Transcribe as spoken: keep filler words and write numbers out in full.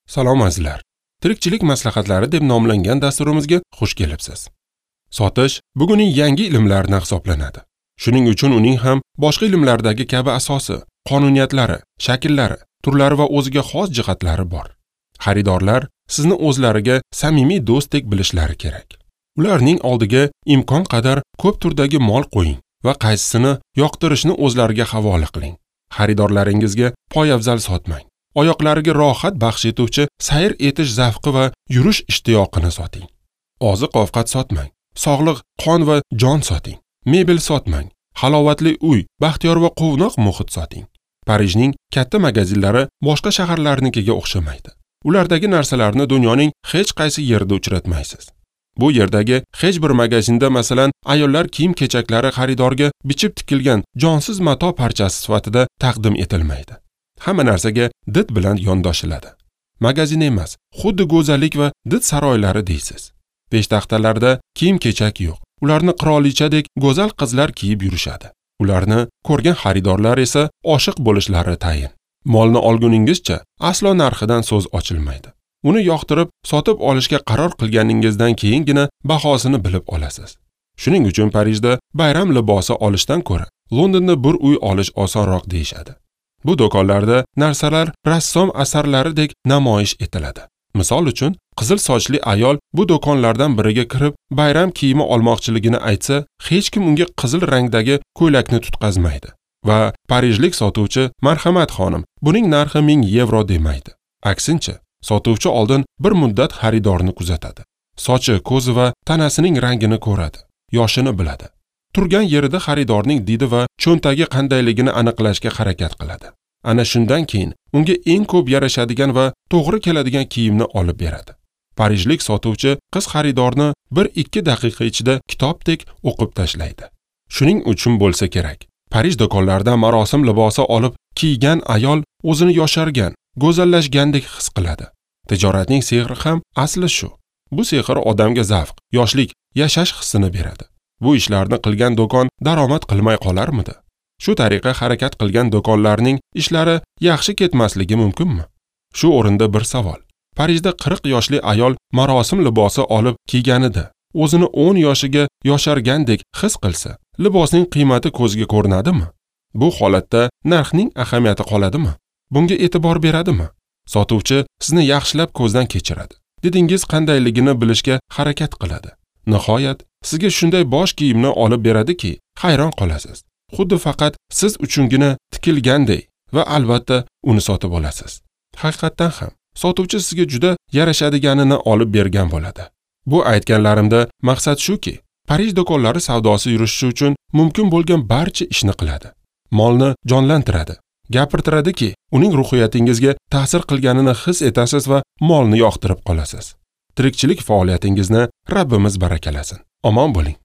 Salom azizlar. Tirikchilik maslahatlari deb nomlangan dasturimizga xush kelibsiz. Sotish bugunning yangi ilmlaridan hisoblanadi. Shuning uchun uning ham boshqa ilmlardagi kabi asosi, qonuniyatlari, shakllari, turlari va o'ziga xos jihatlari bor. Xaridorlar sizni o'zlariga samimiy do'stdek bilishlari kerak. Ularning oldiga imkon qadar ko'p turdagi mol qo'ying va qaysisini yoqtirishni o'zlariga havola qiling. Xaridorlaringizga poyafzal sotmang. Oyoqlariga rohat baxsh etuvchi sayr etish zavqi va yurish ishtiyoqini soting. Oziq-ovqat sotmang. Sog'liq, qon va jon soting. Mebel sotmang. Halovatli uy, baxtiyor va quvnoq muhit soting. Parijning katta magazinlari boshqa shaharlarnikiga o'xshamaydi. Ulardagi narsalarni dunyoning hech qaysi yerida uchratmaysiz. Bu yerdagi hech bir magazinda, masalan, ayollar kiyim-kechaklari xaridorga bichib tikilgan jonsiz mato parchasi sifatida taqdim etilmaydi. Hamma narsaga did bilan yondoshiladi. Magazin emas, xuddi go'zallik va did saroylari deysiz. Peshtaxtalarda kiyim-kechak yo'q. Ularni qirolichadek go'zal qizlar kiyib yurishadi. Ularni ko'rgan xaridorlar esa oshiq bo'lishlari tayin. Molni olguningizcha aslo narxidan so'z ochilmaydi. Uni yoqtirib, sotib olishga qaror qilganingizdan keyingina bahosini bilib olasiz. Shuning uchun Parijda bayram libosi olishdan ko'ra Londonda bir uy olish osonroq deyishadi. Bu do'konlarda narsalar rassom asarlaridek namoyish etiladi. Misol uchun, qizil sochli ayol bu do'konlardan biriga kirib, bayram kiyimi olmoqchiligini aytsa, hech kim unga qizil rangdagi ko'ylakni tutqazmaydi va parijlik sotuvchi "Marhamat xonim, buning narxi ming yevro" demaydi. Aksincha, sotuvchi oldin bir muddat xaridorni kuzatadi. Sochi, ko'zi va tanasining rangini ko'radi, yoshini biladi. Turgan yerida xaridorning didi va cho'ntagi qandayligini aniqlashga harakat qiladi. Ana shundan keyin unga eng ko'p yarashadigan va to'g'ri keladigan kiyimni olib beradi. Parijlik sotuvchi qiz xaridorni bir ikki daqiqa ichida kitobdek o'qib tashlaydi. Shuning uchun bo'lsa kerak, Parij do'konlaridan marosim libosi olib kiygan ayol o'zini yoshargan, go'zallashgandek his qiladi. Tijoratning sehri ham asli shu. Bu sehr odamga zavq, yoshlik, yashash hissini beradi. Bu ishlarni qilgan do'kon daromad qilmay qolarmidi? Shu tariqa harakat qilgan do'konlarning ishlari yaxshi ketmasligi mumkinmi? Shu o'rinda bir savol. Parijda qirq yoshli ayol marosim libosi olib kiyganida o'zini o'n yoshiga yoshargandek his qilsa, libosning qiymati ko'zga ko'rinadimi? Bu holatda narxning ahamiyati qoladimi? Bunga e'tibor beradimi? Sotuvchi sizni yaxshilab ko'zdan kechiradi. Didingiz qandayligini bilishga harakat qiladi. Nihoyat sizga shunday bosh kiyimni olib beradiki, hayron qolasiz. Xuddi faqat siz uchungina tikilganday va albatta uni sotib olasiz. Haqiqatdan ham sotuvchi sizga juda yarashadiganini olib bergan bo'ladi. Bu aytganlarimda maqsad shuki, Parij do'konlari savdosi yurishi uchun mumkin bo'lgan barcha ishni qiladi. Molni jonlantiradi, gapirtiradiki, uning ruhiyatingizga ta'sir qilganini his etasiz va molni yoqtirib qolasiz. Tirikchilik faoliyatingizni Rabbimiz barakalasin. Omon bo'ling.